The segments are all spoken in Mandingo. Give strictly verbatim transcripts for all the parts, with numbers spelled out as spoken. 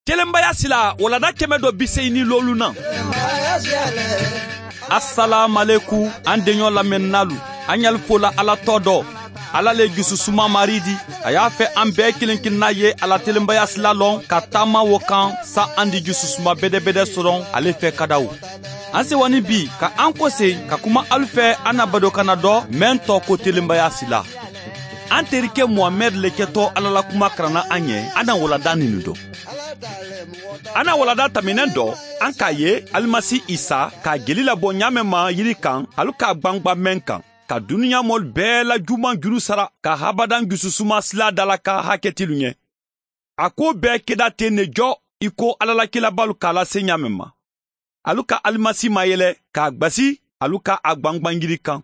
Telenbaya sila walanda keme do bi seyi ni loolu na. Asalaamaleku, an deɲo lamennaalu, an ɲali fola ala tɔ dɔ. Ala le jususuma maridi, a y'a fɛ an bɛɛ kelen kelenna ye a la telenbaya sila lɔn ka taama wo kan, sa an di jususuma bedebede soron ale fɛ kadaw. An sewa ni bi ka an kosen ka kuma alu fɛ an na badokanna dɔ, meŋ tɔɔ ko telenbaya sila. An terike muhamɛdi le kɛtɔ ala la kuma karanna an ye. An na walanda ninu dɔn. An na walanda taminɛ dɔ, an k'a ye alimasi isa k'a jeli labɔ ɲaameŋ ma yiri kan, alu k'a gbangba meŋ kan, ka duniɲa moolu bɛɛ la juman juru sara ka habadan jususuma sila dalakan haketilu ɲɛ. A ko bɛɛ keda ten ne jɔ, i ko ala la kilabalu k'a lase ɲaameŋ ma. Alu ka alimasi mayele k'a gbasi, alu ka a gbangban yiri kan.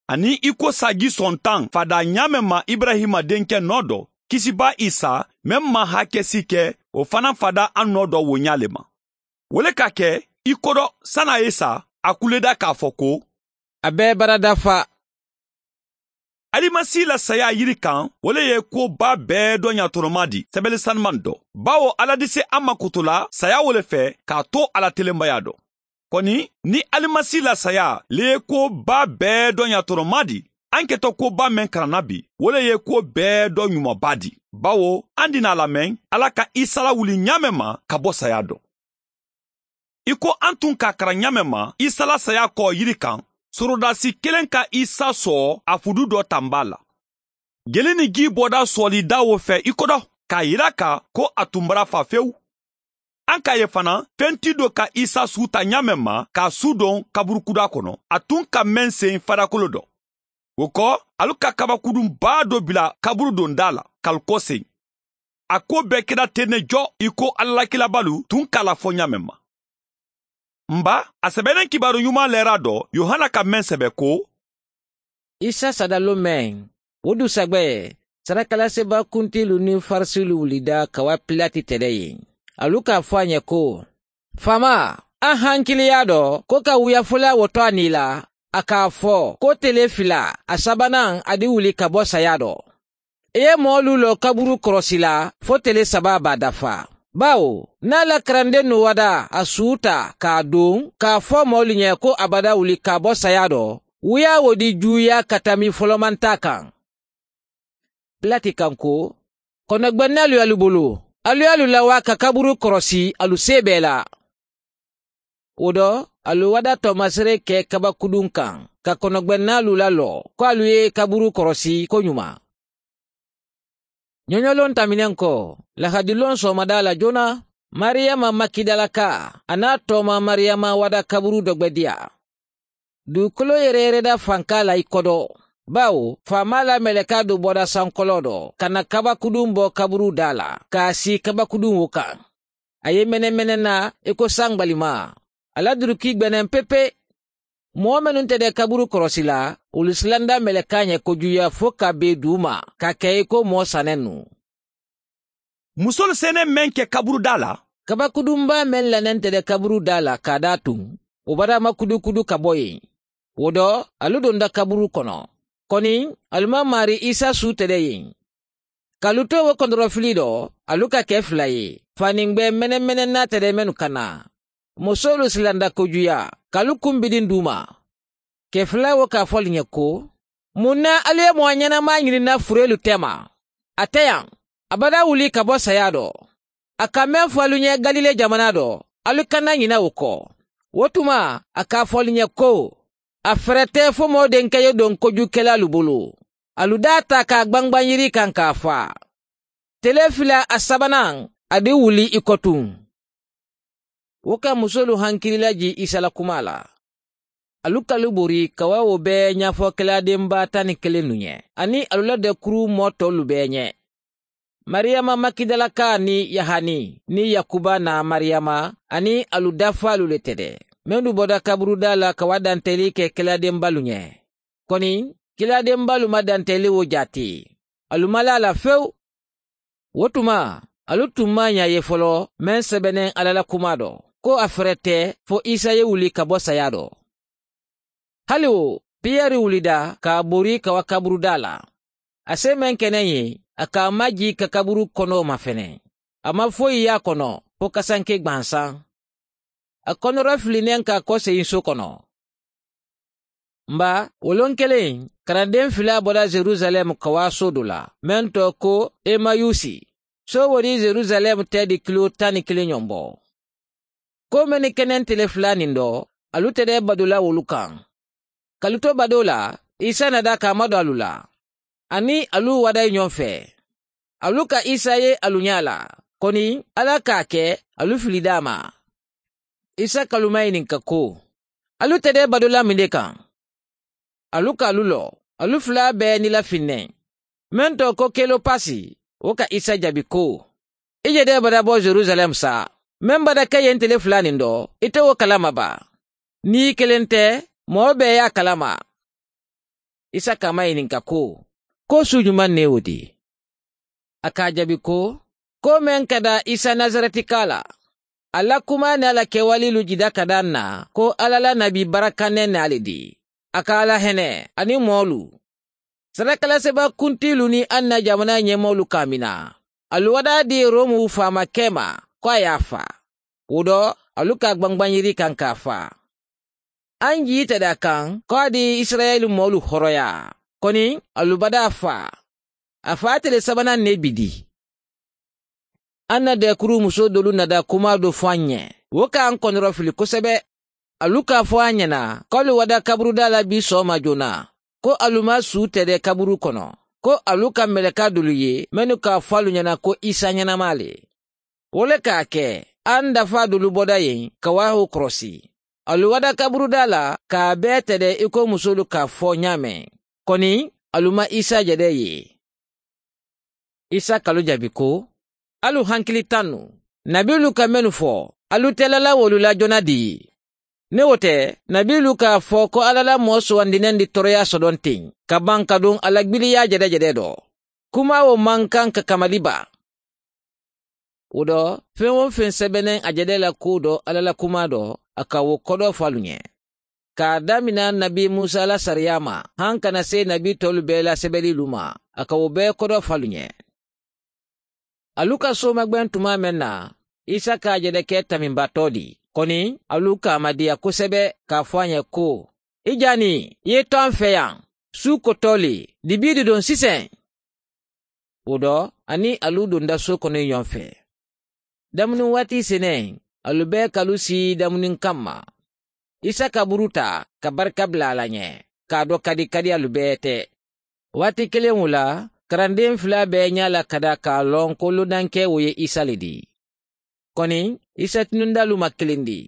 Aniŋ i ko saaji sontaŋ fadaa ɲaameŋ ma iburahima denkɛ nɔ dɔ, kisibaa isa, meŋ maŋ hakesi ke, wo fanaŋ fadaa a nɔ dɔ wo ɲaa le ma. Wo le ka ke i kodo sani a ye sa, a kuleda k'a fo ko, a be bara dafa. Alimasi la saya yiri kan, wo le ye ko baa bee dɔ ɲatoromaa di sebeli sanumaŋ dɔ, bawo ala dise a ma kotola saya wo le fɛ k'a to a la telenbaya dɔ. Koni, ni alimasi la saya le ye ko baa bee dɔ ɲatoromaa di, an ketɔ ko baa meŋ karanna bi, wo le ye ko bee dɔ ɲumanbaa di, bawo an dina a la meŋ ala ka isa lawuli ɲaameŋ ma ka bo saya dɔ. I ko an tun k'a kara ɲaameŋ ma isa la saya kɔɔ yiri kan, sorodasi kelen ka isa sɔɔ a fudu dɔ tanbaa la. Jeli ni jii bɔda sɔɔlidaa wo fɛ i kodo k'a yira a kan ko a tun bara fa fewu. An k'a ye fanaŋ fenti do ka isa suu ta ɲaameŋ ma k'a suu doŋ kaburukudaa kono, a tun ka meŋ seyi fadakolo dɔ. Wo ko, alu ka kabakudun baa do bila kaburudondaa la k'alu koseyi. A ko bee keda ten ne jɔ, i ko ala la kilabalu tun k'a la fo ɲaameŋ ma. N ba, a sebeneŋ kibaaru ɲumaa leeraa dɔ yohana ka meŋ sebe ko, isa sadaloo meŋ, wo dusagbe, sarakalaseebaa kuntiilu niŋ farisiilu wulida ka waa pilati tede ye. Alu k'a fo a ɲe ko, faamaa, a hankiliyaa do ko ka wuyafolaa wo to a nii la, a k'a fo ko tele fila, a sabanaŋ a di wuli ka bo sayaa do. I ye moolu loo kaburu korosi la fo tele saba b'a dafa. Bawo, niŋ a la karandennu wada a suuta k'a duŋ k'a fo moolu ɲe ko a bada wuli ka bo sayaa do, wuyaa wo di juuyaa ka tambi folomantaa kaŋ. Pilati kaŋ ko, konogbenna alu ye alu bulu, alu ye alu lawaa ka kaburu korosi alu see bee la. Wo do, alu wada toomasere ke kabakuduŋ kaŋ ka konogbennaalu laloo ko alu ye kaburu korosi koɲumaa. Ɲoɲoloŋ tamineŋ ko, lahadiloŋ soomadaa la joona, mariyama makidalakaa a naa tooma mariyama wada kaburu dogbediyaa. Dukolo yereereda fankaa la i kodo, bawo faamaa la melekaa do bota sankoloo do ka na kabakuduŋ bo kaburuu daa la ka a sii kabakuduŋ wo kaŋ. A ye menemene na i ko saŋ gbalimaa. A la durukii gbeneŋ pepe. Moo mennu te de kaburu korosi la, wolu silanda melekaa ɲe kojuya fo ka bee duuma ka ke i ko moo sanennu. Musoolu seeneŋ meŋ ke kaburudaa la, kabakudunbaa meŋ la neŋ te de kaburudaa la ka a daa tuŋ, wo baraama kudukudu ka bo yen. Wo do, alu donda kaburu kono. Koni, alu maŋ maarii isa suu te de yen. Ka alu to wo kondorofili do, alu ka ke fula ye, faniŋ gbeŋ menemene naata de mennu ka naa. Musoolu silanda kojuya ka alu kumbidiŋ duuma. Ke fula wo ka a fo alu ɲe ko, muŋ na alu ye moo ɲenamaa ɲini na fureelu teema? A te yaŋ. A bada wuli ka bo sayaa do. A ka meŋ fo alu ɲe galile jamanaa do, alu kana ɲina wo ko. Wo tuma, a ka a fo alu ɲe ko, a ferete fo moo denke ye doŋ kojukelaalu bulu. Alu daa taa ka a gbangbaŋ yiri kaŋ ka a faa. Tele fila a sabanaŋ, a di wuli i kotuŋ. Wo ka musoolu hankili lajii isa la kumaa la. Alu ka alu bori ka waa wo bee ɲaafo kelaadenbaa taŋ ni kelennu ɲe, aniŋ alu la dekuru moo toolu bee ɲe. Mariyama makidalakaa niŋ yahani niŋ yakuba naa mariyama, aniŋ alu dafaalu le te de, mennu bota kaburudaa la ka waa danteeli ke kelaadenbaalu ɲe. Koni, kilaadenbaalu maŋ danteeli wo jaati. Alu maŋ laa a la fewu. Wo tuma, alu tun maŋ a ɲa ye foloo meŋ sebeneŋ alla la kumaa do, ko a ferete fo isa ye wuli ka bo sayaa do. Hali wo, piyeri wulida ka a bori ka wa kaburudaa la. A si meŋ ke neŋ ye, a ka a majii ka kaburu konoo mafene. A maŋ foyi ye a kono fo kasanke gbansaŋ. A konoro fili neŋ ka a koseyiŋ soo kono. Mba, woloŋ keleŋ, karandeŋ filaa bota yerusaleemu kawaasoo do la meŋ too ko emayusi. Soo wo di yerusaleemu teedi kiloo taŋ ni kiliŋ ñoŋ bo. Ko mennu kene nte le filaa niŋ do, alu tedee badoo la wolu kaŋ. Ka alu to badoo la, isa nada ka a mado alu la. Aniŋ alu wadayi ñoŋ fee. Alu ka isa ye alu ñaa la, koni alla ka a ke alu filidaa ma. Isa ka alu mayininka ko, alu tedee badoo la muŋ de kaŋ? Alu ka alu loo, alu filaa bee nilafiŋ ne. Meŋ too ko kelopasi, wo ka isa jabi ko, i je de bada bo yerusaleemu saa. Meŋ bada ke ye nte le filaa niŋ do, ite wo kalama ba? Niŋ i keleŋ te, moo bee ye a kalama. Isa ka a mayininka ko, ko suu jumaŋ ne wo di? A ka a jabi ko, ko meŋ ka daa isa nasaretikaa la. A la kumaa niŋ a la kewaliilu jida ka daa ǹ na ko alla la nabi barakanne ne a le di. A ka alla hene aniŋ moolu. Sarakalaseba kuntiilu niŋ anna jamanaa ñemoolu ka a mina. Alu wadaa dii romu faama kee ma ko a ye a faa. Wo do, alu ka a gbangbaŋ yiri kaŋ ka a faa. A ǹ jiite daa kaŋ ko a di isirayeli moolu horoyaa. Koni alu badaa faa. A faa tele sabanaŋ ne bi di. A na deekuru musoo doolu nada kumaa do fo a ǹ ye. Wo ka a ǹ konoro fili kosebe. Alu ka a fo a ñana ko alu wada kaburudaa la bii sooma joona, ko alu ma suu tede kaburu kono, ko alu ka meleka doolu ye mennu ka a fo alu ñana ko isa ñanamaa le. Wo le ka a ke a ǹ dafaa doolu boda ye ka waaho korosi. Alu wada kaburudaa la ka a bee tede i ko musoolu ka a fo ñaameŋ. Koni alu ma isa jede ye. Isa ka alu jabi ko, alu hankili tannu. Nabiilu ka mennu fo, alu te lala wolu la jona di? Niŋ wo te, nabiilu ka a fo ko alla la moo suwandineŋ di toroyaa sodoŋ teŋ ka baŋ ka duŋ a la gbiliyaa jede jede do. Kumaa wo maŋ kaŋ ka kamali baa. Wo do, feŋ-wo-feŋ sebeneŋ a jede la kuwo do alla la kumaa do, a ka wo kodoo fo alu ñe. Ka a damina nabi musa la sariyaa ma haŋ ka na see nabi toolu bee la sebeliilu ma, a ka wo bee kodoo fo alu ñe. Alu ka sooma gbeŋ tumaa meŋ na, isa ka a jede ke taminbatoo di. Koni alu ka a madiya kosebe ka a fo a ñe ko, i jaani i ye to a ǹ fee yaŋ. Suu kotoo le, dibii didoŋ siseŋ. Wo do, a niŋ alu donda soo kono ñoŋ fee. Damuni waati seneŋ, alu bee ka alu sii damuni kamma. Isa ka buru taa ka barika bila a la ñe, ka a do kadi kadi alu bee te. Waati kiliŋo la, karandeŋ filaa bee ñaa la ka daa ka a loŋ ko lodankee wo ye isa le di. Koni isa tinundaalu ma kiliŋ di.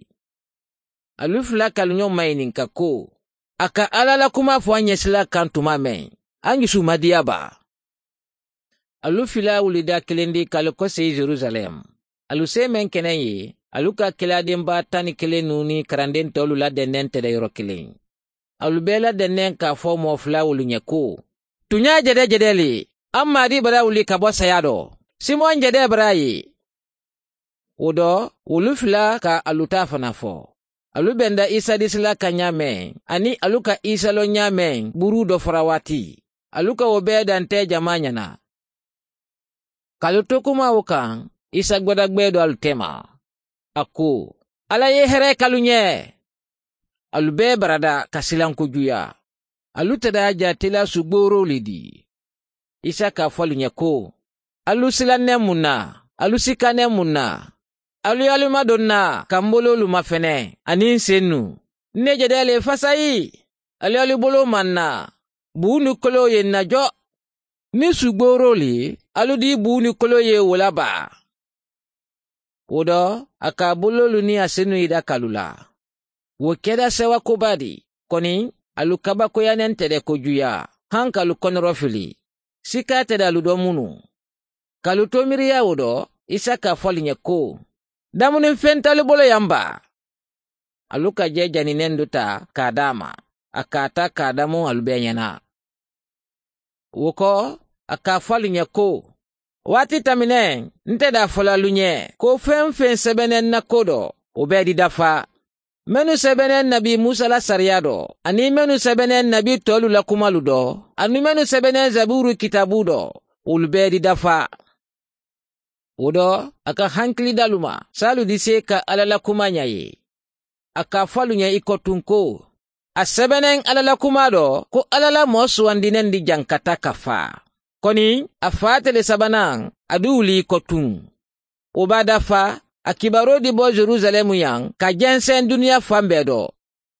Alu filaa ka alu ñoŋ mayininka ko, a ka alla la kumaa fo a ñesilaa kaŋ tumaa meŋ, a ñusu madiya baa. Alu filaa wulida kiliŋ di ka alu kosi yerusaleemu. Alu see meŋ ke naŋ ye, alu ka kilaa denbaa taŋ ni kiliŋ nuuni karandeŋ toolu la dendeŋ tede yoro kiliŋ. Alu bee la dendeŋ ka a fo moo fulaawolu ñe ko, tuñaa jede jede le, a maadii bara wuli ka bo sayaa do. Simoŋ jede bara ye. Wo do, wolu fula ka alu taa fanaa fo. Alu benda isa disi la kaŋ ñaameŋ, aniŋ alu ka isa loŋ ñaameŋ buruu do fora waati. Alu ka wo bee dantee jamaa ñana. Ka alu to kumaa wo kaŋ, isa gbadagbee do alu teema. A ko, alla ye i heree ka alu ñee. Alu bee barada ka silanko juyaa. Alu tadaa jaati la sugbooroo le di. Isa ka a fo alu ñe ko, alu silanneŋ muŋ na? Alu sikaneŋ muŋ na? Alu ye alu madoŋ na ka m boloolu mafene aniŋ n sennu? N ne jede le fasayi. Alu ye alu boloo maŋ na. Buuni koloo ye n na jo. Niŋ sugbooroo le, alu dii buuni koloo ye wo la baa. Wo do, a ka a boloolu niŋ a sennu yida ka alu la. Wo keda sewa koba di. Koni alu kabakoyaneŋ tede ko juyaa haŋ ka alu konoroo fili. Sikaa tede alu do munu. Ka alu to miiriyaa wo do, isa ka a fo alu ñe ko, damuni feŋ te alu bolo yaŋ baa? Alu ka jee janineŋ do taa ka a daa ma. A ka a taa ka a damu alu bee ñana. Wo ko, a ka a fo alu ñe ko, waati tamineŋ, nte daa fo la alu ñe ko feŋ-feŋ sebeneŋ n na koo do, wo bee di dafa. Mennu sebeneŋ nabi musa la sariyaa do, aniŋ mennu sebeneŋ nabi toolu la kumaalu do, aniŋ mennu sebeneŋ zabuuru kitaabuu do, wolu bee di dafa. Wo do, a ka hankili dalu ma saalu di si e ka ala la kuma ɲa ye. A ka fo alu ɲa i ko tunko, a sebeneŋ ala la kuma do ko ala la moo suwandineŋ di jankata ka faa. Koni a faa tele sabanaŋ, a du wuli i ko tuŋ. Wo baa dafa, a kibaaroo di bo yerusaleemu yaŋ ka jenseŋ duniyaa fan bee do.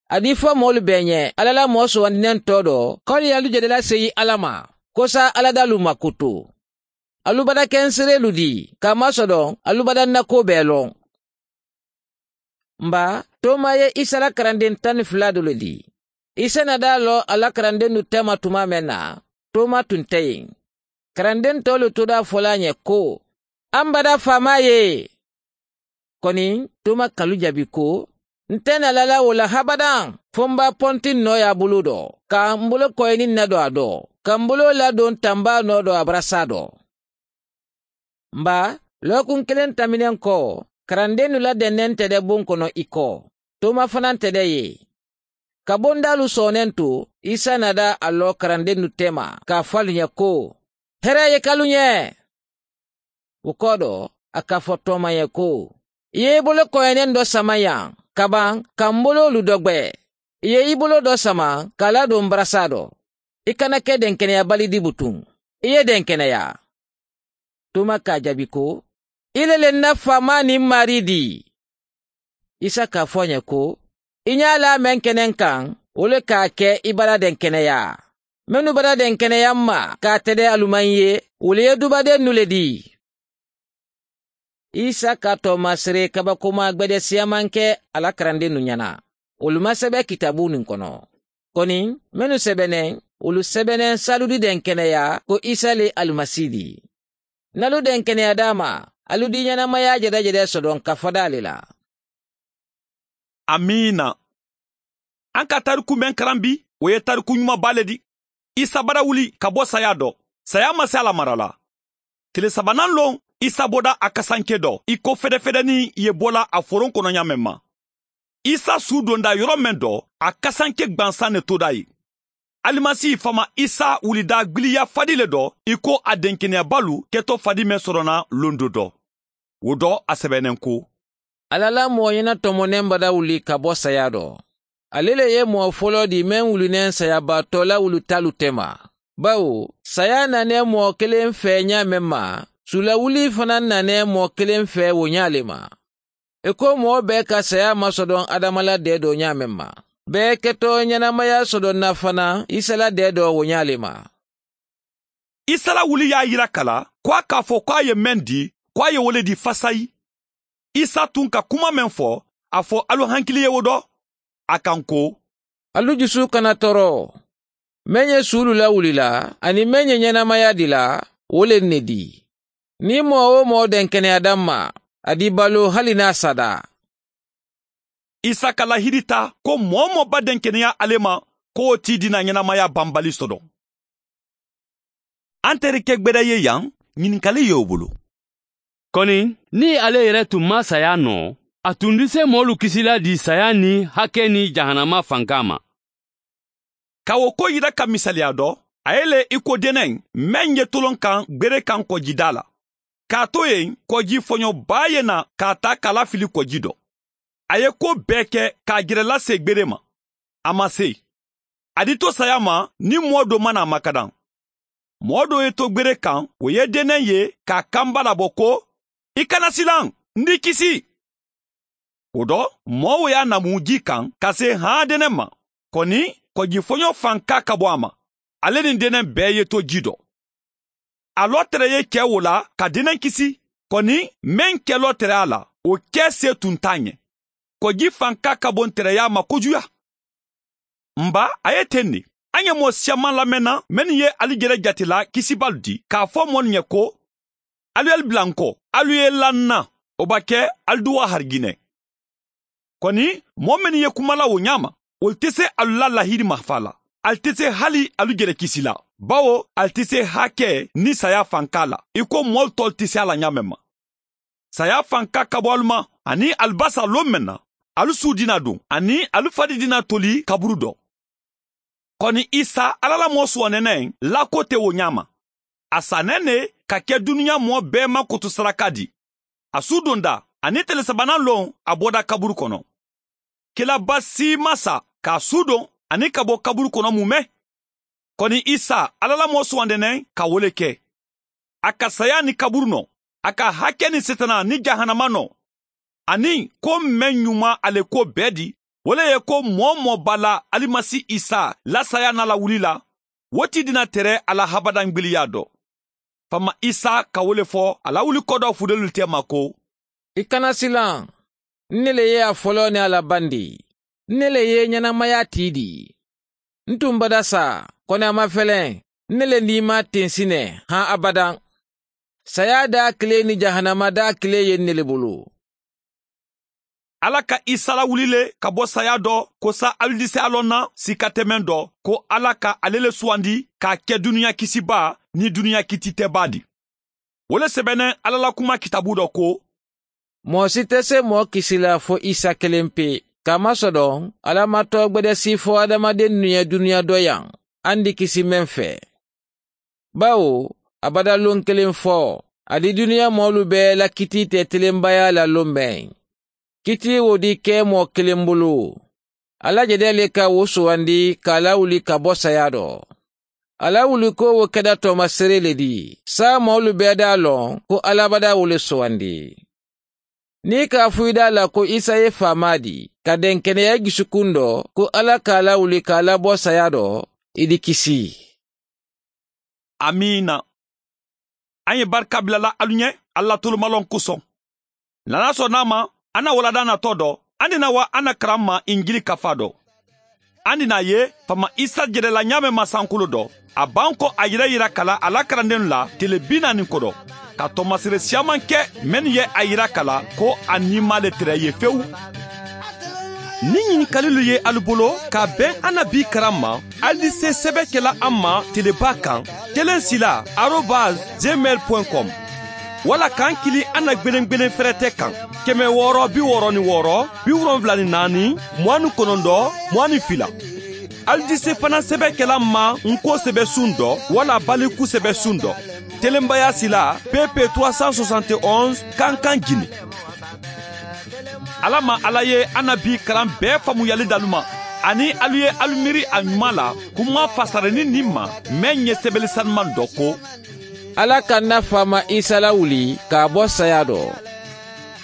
A di fo moolu bee ɲe ala la moo suwandineŋ too do ko ali ye alu jedela seyi ala ma, kosa ala daaluu ma kutu. Alu badakensereelu dii, ka a masodoŋ alu badannakoo bee loŋ. Mba, toma ye isa la karandeŋ taŋ ni fula doolu dii. Isa na daa loŋ a la karandennu tema tumaa meŋ na, toma tun te yen. Karandentoolu to daa fola a ɲe ko, an bada faamaa ye. Koni toma kalu jabi ko, n te na lala wo la habadaŋ fo n ba pontiŋ noo ye a buluu do, ka n bulu koyini n na do a do, ka n buloo ladoŋ tambaa noo do a barasa do. Mba, lookuŋ kiliŋ tambineŋ ko, karandennu la denneŋ te de buŋ kono i ko, toma fanaŋ te de ye. Ka bondaalu sooneŋ tu, isa na daa a loo karandennu tema ka a fo alu ɲe ko, hera ye kalu ɲe. Wo koo do, a ka fo toma ye ko, i ye i bulu koyeneŋ do sama yaŋ, ka baŋ ka m buloolu dogbe. I ye i buloo do sama ka a laduŋ barasa do. I kana ke denkeneya bali dibutuŋ. I ye denkeneya. Toma ka a jabi ko, i le le n na faamaa niŋ maarii dii. Isa ka a fo a ɲe ko, i ɲaa laa meŋ ke ne n kaŋ, wo le ka a ke i bada denkeneya. Mennu bada denkeneya m ma ka a tede alu maŋ ye, wolu ye dubadennu le dii. Isa ka toomasiree kabakomaa gbede siyamaŋ ke a la karandennu ɲana. Wolu maŋ sebe kitaabuu niŋ kono. Koni mennu sebeneŋ, wolu sebeneŋ saalu di denkeneya ko isa le alimasi di. N na alu denkeneya daa ma, alu di ɲenamaya jedajede sodoŋ ka fada le la. Amiina. An ka tariku meŋ karan bi, wo ye tariku ɲumanba le di. Isa bara wuli ka bo saya do, saya ma si a la mara la. Tile sabanaŋ loŋ, isa boda a kasanke do i ko fedefedenin ye bola a foroŋ kono ɲaameŋ ma. Isa suu donda yoro meŋ do, a kasanke gbansaŋ ne toda ì. Alimasi faama isa wulida gbiliya fadi le do i ko a denkeneyabalu keto fadi meŋ sorona londo do. Wo do a sebeneŋ ko, ala la moo ɲena tomoneŋ bada wuli ka bo saya do. Ale le ye moo foloo di meŋ wulineŋ sayabaatoo la wulitaalu tema. Bawo saya nane moo keleŋ fee ɲaameŋ ma, suulawuli fanaŋ nane moo keleŋ fee wo ɲaa le ma. I ko moo bee ka saya masodoŋ adama la deedoo ɲaameŋ ma, bee keto ɲenamaya sodonna fanaŋ isa la deedoo wo ɲaa le ma. Isa la wuli ye a yira kala ko a ka a fo ko a ye meŋ di ko a ye wo le di fasayi. Isa tun ka kuma meŋ fo, a fo alu hankili ye wo do. A kaŋ ko, alu jusu kana toro. Meŋ ye suulu lawuli la aniŋ meŋ ye ɲenamaya dila, wo le n ne di. Niŋ moo-wo-moo denkeneya daŋ ma, a di baloo hali niŋ a sada. Isa ka lahirita ko moo-wo-moo ba denkeneya ale ma, ko wo ti dina ɲenamaya banbali sodoŋ. An tereke gbeda ye yaŋ, ɲininkali ye wo bulu. Koni niŋ ale yere tun maŋ saya noo, a tun di se moolu kisila di saya niŋ hake niŋ jahanama fankaa ma. Ka wo ko yira ka misaliya do, a ye le i ko deneŋ meŋ ye toloŋ kaŋ gbere kaŋ koojidaa la. K'a to yen kooji foɲo baa ye na k'a taa ka lafili kooji do. A ye ko bee ke k'a jere lase gbere ma. A ma se. A di to saya ma niŋ moo do mana a makadaŋ. Moo do ye to gbere kaŋ, wo ye deneŋ ye k'a kamba labɔ ko, i kana silaŋ, n di kisi. Wo do, moo wo ye a namu jii kaŋ ka se haa deneŋ ma. Koni kooji foɲo fankaa ka bo a ma. Ale niŋ deneŋ bee ye to jii do. A loo tere ye ke wo la ka deneŋ kisi. Koni meŋ ke loo tere a la, wo ke se tun te a ɲe. Kooji fankaa ka bo n tereyaa ma kojuya. Mba, a ye teŋ ne. A ɲe moo siyamaŋ lamenna mennu ye ali jere jate la kisibaalu di k'a fo moolu ɲe ko, alu ye ali bila n ko, alu ye la n na. Wo ba ke ali duwa hari jine. Koni moo mennu ye kuma la wo ɲaama, wolu te se alu la lahidi mafa la. Ali te se hali alu jere kisi la, bawo ali te se hake niŋ saya fankaa la i ko moolu toolu te se a la ɲaameŋ ma. Saya fankaa ka bo alu ma, aniŋ ali basa loŋ meŋ na, alu suu dina duŋ aniŋ alu fadi dina toli kaburu do. Koni isa, alla la moo suwaneneŋ, lako te wo ɲaama. A saneŋ ne ka ke duniɲa moo bee ma kotosaraka di. A suu dondaa aniŋ tele sabanan loŋ a boda kaburu kono. Kilaba si maŋ sa ka a suu doŋ aniŋ ka bo kaburu kono mume. Koni isa, alla la moo suwandi neŋ ka wo le ke. A ka sayaa niŋ kaburu noo, a ka hake niŋ setanaa niŋ jahanama noo. Aniŋ ko meŋ ɲumaa a le kuwo bee di, wo le ye ko moo-wo-moo be a la alimasi isa la sayaa niŋ a la wulii la, wo ti dina tere a la habadaŋ gbiliyaa do. Faama isa ka wo le fo a la wuli kodoo fudelulu teema ko, i kana silaŋ. N ne le ye a foloo niŋ a la bandii. N ne le ye ɲenamaya tii dii. N tuŋ bada saa, koni a maŋ feleŋ. N ne le niimaa tinsi ne haŋ abadaŋ. Sayaa daakilee niŋ jahanama daakilee ye n ne le bulu. Alla ka isa lawuli le ka bo sayaa do ko saayiduseyaa loŋ na siika te meŋ do, ko alla ka ale le suwandi ka a ke duniya kisibaa niŋ duniya kitii te baa di. Wo le sebeneŋ alla la kumaa kitaabuu do ko, moo si te se moo kisi la fo isa keleŋ pee, kaamasodon alla maŋ toogbedesi fo hadamadennu ye duniya doyaŋ, a ndi kisi meŋ fee. Bawo abada loŋ keleŋ fo, a di duniya moolu bee la kitii te telembayaa la loŋ meŋ. Kitii wo di ke moo keleŋ bulu. Alla jede le ka wo suwandi ka a lawuli ka bo sayaa do. A lawuliko wo keda toomasere le di, saayiŋ moolu bee da a loŋ ko alla bada wo le suwandi. Niŋ i ka a fuyidaa la ko isa ye faamaa di, ka denkeneya i jusukuŋ do ko alla ka a lawuli ka a labo sayaa do, i di kisi. Amiina. A ye barika bila la alu ɲe alla tolumaloŋ kosoŋ. Lana sonnaa ma, a na waladaa natoo do, a dina wa a na karamma injili kafaa do. A dina a ye faama isa jede la ɲaameŋ masankuloo do, a baŋ ko a yere yira kala a la karandennu la tele bi naani kodo, ka toomasere siyaamanke mennu ye a yira kala ko a niimaa le tere ye fewu. Niŋ ɲinikalilu ye alu bolo ka a beŋ a na bii karamma, alu di se sebe kela a ma telebaa kaŋ, kelen sila arobas gmail point com. Walla ka n kili a na gbelengbelen ferete kaŋ, keme wooro bi wooro ni wooro bi wolonwula ni naani muwaani konondo muwaani fila. Alu di se fanaŋ sebe kela n ma n ko sebe suŋ do walla baliku sebe suŋ do. Telenbaya sila pp trois cent soixante et onze kankan jini. Alla ma alla ye a na bii karaŋ bee faamuyali dalu ma, aniŋ alu ye alu miiri a ɲumaa la kuma fasarenniŋ niŋ ma, meŋ ye sebeli sanumaŋ do ko, alla ka n na faama isa lawuli ka a bo sayaa do.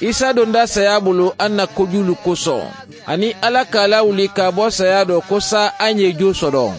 Isa donda sayaa bulu a na kojuulu kosoŋ, aniŋ alla ka a lawuli ka a bo sayaa do ko saayiŋ a ye joo sodoŋ.